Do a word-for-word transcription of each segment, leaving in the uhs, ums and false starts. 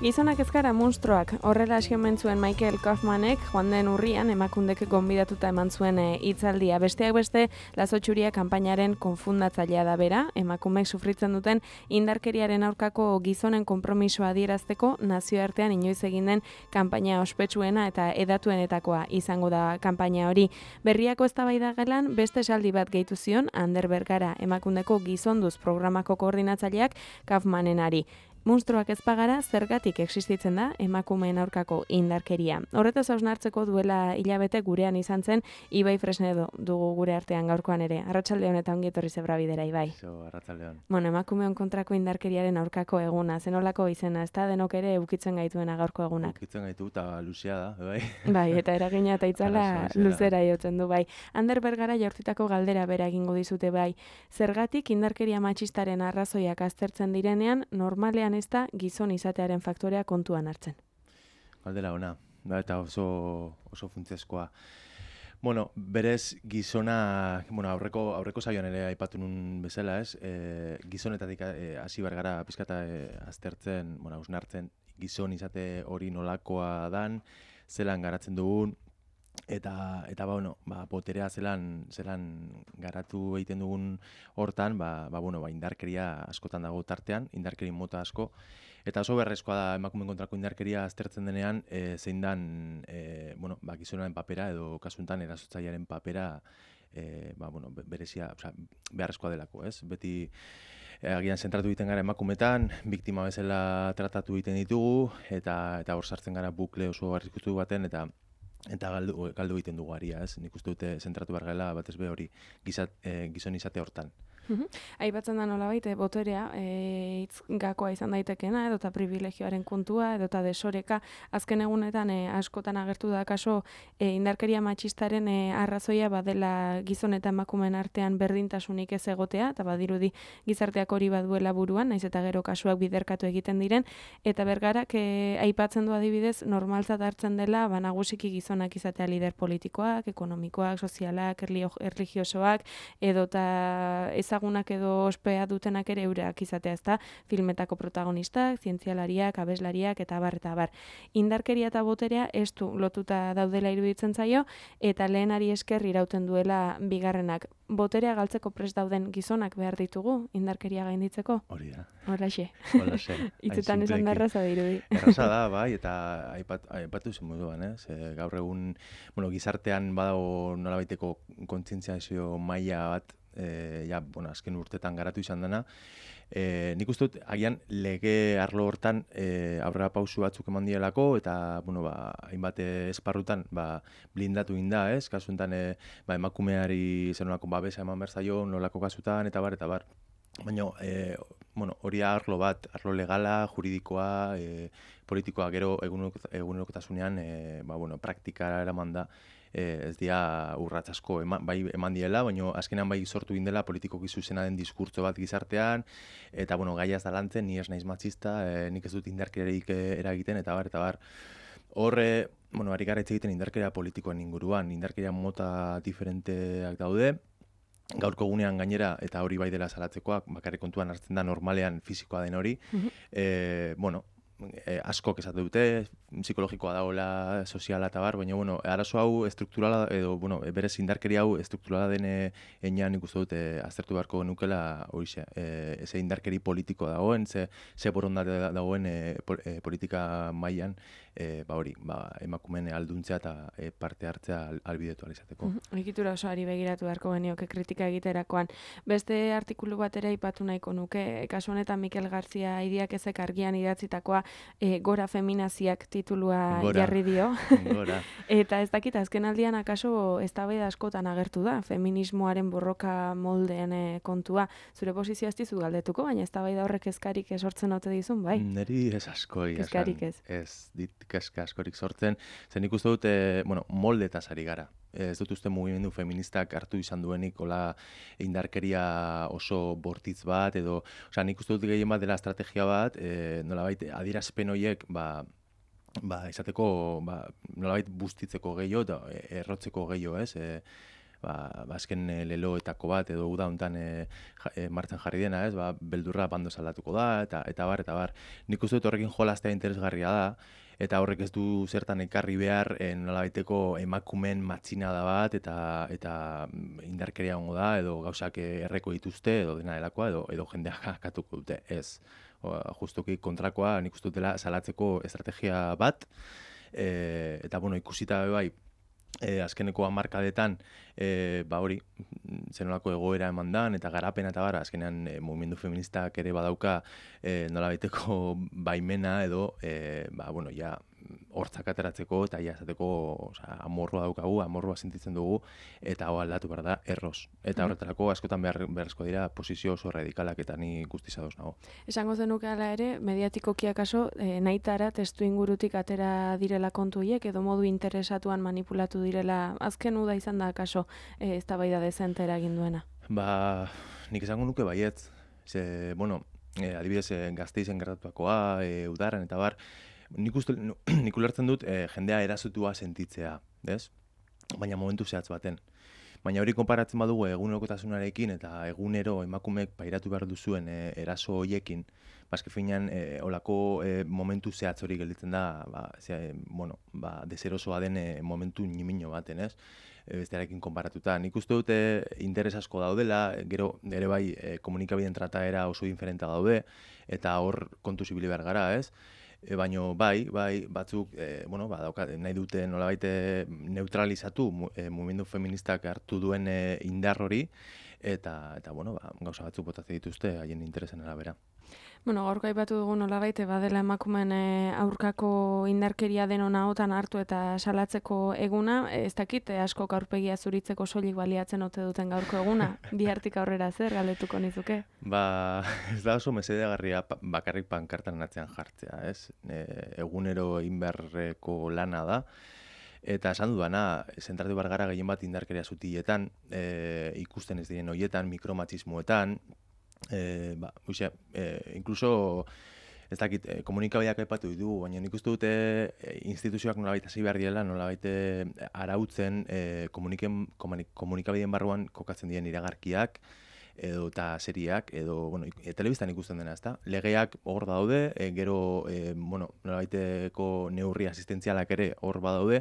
Gizonak ez gara munstroak, horrela hasi omen zuen Michael Kaufmanek joan den urrian emakundek gonbidatuta eman zuen hitzaldia. Besteak beste, Lazo Txuria kanpainaren konfundatzailea da bera, emakumeek sufritzen duten indarkeriaren aurkako gizonen konpromisoa adierazteko nazioartean inoiz egin den kanpaina ospetsuena eta edatuenetakoa izango da kanpaina hori. Berriako eztabaida gelan beste esaldi bat gehitu zion Ander Bergara, emakundeko gizonduz programako koordinatzaileak Kaufmanenari. Munstroak ez bagara, zergatik existitzen da emakumeen aurkako indarkeria. Horretaz hausnartzeko duela hilabete gurean izan zen Ibai Fresnedo dugu gure artean gaurkoan ere. Arratsaldeon eta ongi etorri zebra bidera, Ibai. Zo, arratsaldeon. Bueno, emakumeon kontrako indarkeriaren aurkako eguna, zenolako izena, ez da denok ere ukitzen gaituena gaurko egunak. Ukitzen gaitu eta luzea da, bai. Bai, eta eragina eta itzala Arazo, luzera jotzen du, bai. Ander Bergara jaurtitako galdera bera egingo dizute, bai. Zergatik indarkeria matxistaren arrazoiak aztertzen direnean, normalean ez da gizon izatearen faktorea kontuan hartzen. Galdera ona, da eta oso oso funtsezkoa. Bueno, berez gizona, bueno, aurreko aurreko saioan ere aipatu nun bezala, ez? E, gizonetatik hasi e, bar gara pizkata e, aztertzen, bueno, hausnartzen gizon izate hori nolakoa dan, zelan garatzen dugun eta eta ba bueno, ba boterea zelan zelan garatu egiten dugun hortan, ba ba bueno, ba indarkeria askotan dago tartean, indarkeri mota asko. Eta oso berrezkoa da emakumeen kontrako indarkeria aztertzen denean, e, zein dan e, bueno, ba gizonaren papera edo kasu honetan erasotzailearen papera e, ba bueno, berezia, osea, beharrezkoa delako, ez? Beti e, agian zentratu egiten gara emakumetan, biktima bezala tratatu egiten ditugu eta eta hor sartzen gara bukle oso arriskutu baten eta eta galdu galdu egiten dugu aria, ez? Nik uste dute zentratu behar gela batez be hori gizat, e, gizon izate hortan. Aipatzen da nolabait boterea e, hitz gakoa izan daitekena edota privilegioaren kontua edota desoreka azken egunetan e, askotan agertu da kaso e, indarkeria matxistaren e, arrazoia badela gizon eta emakumeen artean berdintasunik ez egotea eta badirudi gizarteak hori baduela buruan, naiz eta gero kasuak biderkatu egiten diren eta Bergarak e, aipatzen du adibidez normaltzat hartzen dela ba nagusiki gizonak izatea lider politikoak, ekonomikoak, sozialak, erlijiosoak edota ezagunak edo ospea dutenak ere eurak izatea, ezta, filmetako protagonistak, zientzialariak, abeslariak eta abar eta abar. Indarkeria eta boterea estu lotuta daudela iruditzen zaio eta lehenari esker irauten duela bigarrenak. Boterea galtzeko prest dauden gizonak behar ditugu indarkeria gainditzeko? Hori da. Horraxe. Horraxe. Hitzetan esan da erraza dirudi. Erraza da, bai, eta aipat, aipatu zen moduan, eh? Ze, gaur egun, bueno, gizartean badago nolabaiteko kontzientziazio maila bat, E, ja, bueno, azken urtetan garatu izan dena. E, nik uste dut, agian lege arlo hortan e, aurrera pausu batzuk eman dielako, eta, bueno, ba, hainbat esparrutan ba, blindatu inda, ez? Kasu enten, e, ba, emakumeari zer nolako babesa eman behar zaio, nolako kasutan, eta bar, eta bar. Baina, e, bueno, hori arlo bat, arlo legala, juridikoa, e, politikoa, gero egunerokotasunean, e, ba, bueno, praktikara eraman da, E, ez dira urratz asko eman, bai eman diela, baina azkenean bai sortu indela politikoki zuzena den diskurtso bat gizartean, eta bueno, gaia ez da lantzen, ni ez naiz matxista, e, nik ez dut indarkeriarik eragiten, eta bar, eta bar. Horre, bueno, ari gara hitz egiten indarkeria politikoen inguruan, indarkeria mota diferenteak daude, gaurko egunean gainera, eta hori bai dela salatzekoak, bakarrik kontuan hartzen da normalean fisikoa den hori, uh-huh. e, bueno, E, askok esate dute, psikologikoa dagoela, soziala eta bar, baina, bueno, arazo hau estrukturala, edo, bueno, berez indarkeria hau estrukturala den enean nik uste dute aztertu beharko nukela horixe, e, ze indarkeri politiko dagoen, ze, ze borondate dagoen e, po, e, politika mailan, e, ba hori, ba, emakumeen alduntzea eta e, parte hartzea albidetu alizateko. Egitura oso ari begiratu beharko genioke kritika egiterakoan. Beste artikulu bat ere aipatu nahiko nuke, kasu honetan Mikel Garzia Idiak ezek argian idatzitakoa E, gora feminaziak titulua gora. jarri dio. Gora. Eta ez dakit, azken aldian akaso eztabaida askotan agertu da, feminismoaren borroka moldeen e, kontua. Zure posizioa ez dizut galdetuko, baina eztabaida horrek kezkarik sortzen ote dizun, bai? Neri ez asko. Kezkarik ez. Ez dit kezka askorik sortzen. Zen nik uste dut, e, bueno, moldetaz ari gara. Ez dut uste mugimendu feministak hartu izan duenik hola indarkeria oso bortitz bat, edo, osea, nik uste dut gehien bat dela estrategia bat, e, nolabait adierazpen horiek, ba, ba, izateko, ba, nolabait bustitzeko gehiago, eta errotzeko gehiago, ez? E, ba, azken e, leloetako bat edo uda hontan e, e, martxan jarri dena, ez? Ba, beldurra bando saldatuko da eta eta bar eta bar. Nik uste dut horrekin jolastea interesgarria da. Eta horrek ez du zertan ekarri behar e, nolabaiteko emakumen matxinada bat eta eta indarkeria hongo da edo gauzak erreko dituzte edo dena delakoa edo edo jendeak katuko dute. Ez. O, justuki kontrakoa nik uste dutela salatzeko estrategia bat e, eta bueno, ikusita bai E, azkeneko hamarkadetan e, ba hori zenolako egoera eman dan eta garapena eta bara azkenean e, mugimendu feministak ere badauka e, nolabaiteko baimena edo e, ba bueno ja hortzak ateratzeko eta ja esateko osea amorrua daukagu, amorrua sentitzen dugu eta hau aldatu behar da erroz. Eta horretarako askotan behar, beharrezko dira posizio oso radikalak eta ni guztiz ados nago. Esango zenuke hala ere, mediatikoki akaso e, nahitara testu ingurutik atera direla kontu hiek edo modu interesatuan manipulatu direla azken uda izan da akaso e, eztabaida dezente eragin duena. Ba, nik esango nuke baietz. Ze, bueno, e, adibidez e, Gasteizen gertatuakoa, e, udaran eta bar, nik uste, nik ulertzen dut e, jendea erasotua sentitzea, ez? Baina momentu zehatz baten. Baina hori konparatzen badugu egunerokotasunarekin eta egunero emakumeek pairatu behar duzuen e, eraso hoiekin, baske finean e, olako e, momentu zehatz hori gelditzen da, ba, ze, bueno, ba, deserosoa den e, momentu nimino baten, ez? E, bestearekin konparatuta. Nik uste dute interes asko daudela, gero ere bai e, komunikabideen trataera oso diferenta daude, eta hor kontu zibili behar gara, ez? E, baino bai, bai, batzuk, e, bueno, ba, dauka, nahi dute nolabait neutralizatu e, mugimendu feministak hartu duen e, indar hori, eta, eta bueno, ba, gauza batzuk botatzen dituzte haien interesen arabera. Bueno, gaurko aipatu dugu nolabait badela emakumeen e, aurkako indarkeria denon ahotan hartu eta salatzeko eguna, ez dakit e, asko aurpegia zuritzeko soilik baliatzen ote duten gaurko eguna, bihartik aurrera zer galdetuko nizuke? Ba, ez da oso mesedegarria bakarrik pankartan atzean jartzea, ez? E, egunero egin beharreko lana da. Eta esan dudana, zentratu behar gara gehien bat indarkeria zutiletan, e, ikusten ez diren horietan, mikromatxismoetan, e, ba, uxe, e, inkluso, ez dakit, e, komunikabideak aipatu ditu, baina nik uste dute e, instituzioak nolabait hasi behar direla, nolabait arautzen e, komunikabideen barruan kokatzen diren iragarkiak, edo eta seriak, edo, bueno, e, telebistan ikusten dena, ezta? Legeak hor daude, e, gero, e, bueno, nolabaiteko neurri asistentzialak ere hor badaude,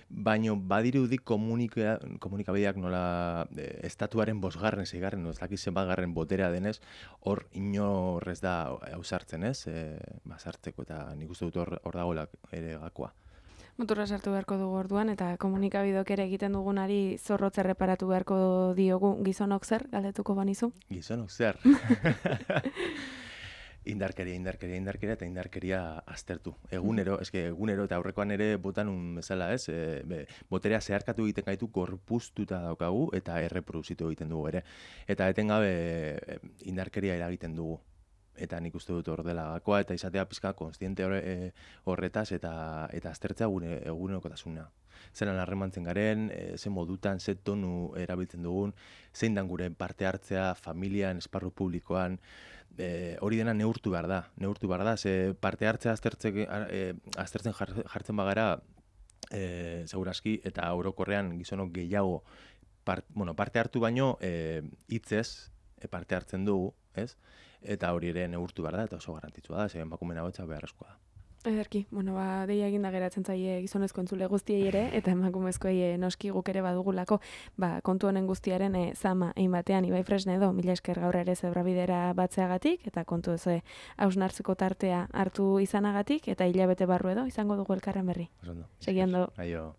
baino badirudi komunika, komunikabideak nola e, estatuaren bosgarren, seigarren, ez dakit zenbatgarren boterea denez, hor inorrez da ausartzen, ez? E, ba, sartzeko eta nik uste dut hor, hor dagoela ere gakoa. Motorra sartu beharko dugu orduan eta komunikabidok ere egiten dugunari zorrotz erreparatu beharko diogu gizonok zer, galdetuko banizu? Gizonok zer? Indarkeria, indarkeria, indarkeria eta indarkeria aztertu. Egunero, eske egunero eta aurrekoan ere botan un bezala, ez? E, be, boterea zeharkatu egiten gaitu gorpuztuta daukagu eta erreproduzitu egiten dugu ere. Eta etengabe e, indarkeria eragiten dugu. Eta nik uste dut hor dela gakoa eta izatea pizka konstiente horre, e, horretaz eta eta aztertzea gure egunerokotasuna. Zeran harremantzen garen, e, ze modutan, ze tonu erabiltzen dugun, zein dan gure parte hartzea familian, esparru publikoan, e, hori dena neurtu behar da. Neurtu behar da, ze parte hartzea aztertzen, e, aztertzen jartzen bagara, e, segurazki, eta orokorrean gizonok gehiago part, bueno, parte hartu baino e, hitzez e, parte hartzen dugu, ez? Eta hori ere neurtu behar da, eta oso garrantzitsua da, ze emakumeen ahotsa beharrezkoa da. Ederki, bueno, ba, deia eginda geratzen zaie gizonezko entzule guztiei ere, eta emakumezkoei noski guk ere badugulako, ba, kontu honen guztiaren e, zama, egin batean, Ibai Fresnedo, mila esker gaur ere zebrabidera batzeagatik, eta kontu ez hausnartzeko tartea hartu izanagatik, eta hilabete barru edo, izango dugu elkarren berri. Osondo. Segiando. Aio.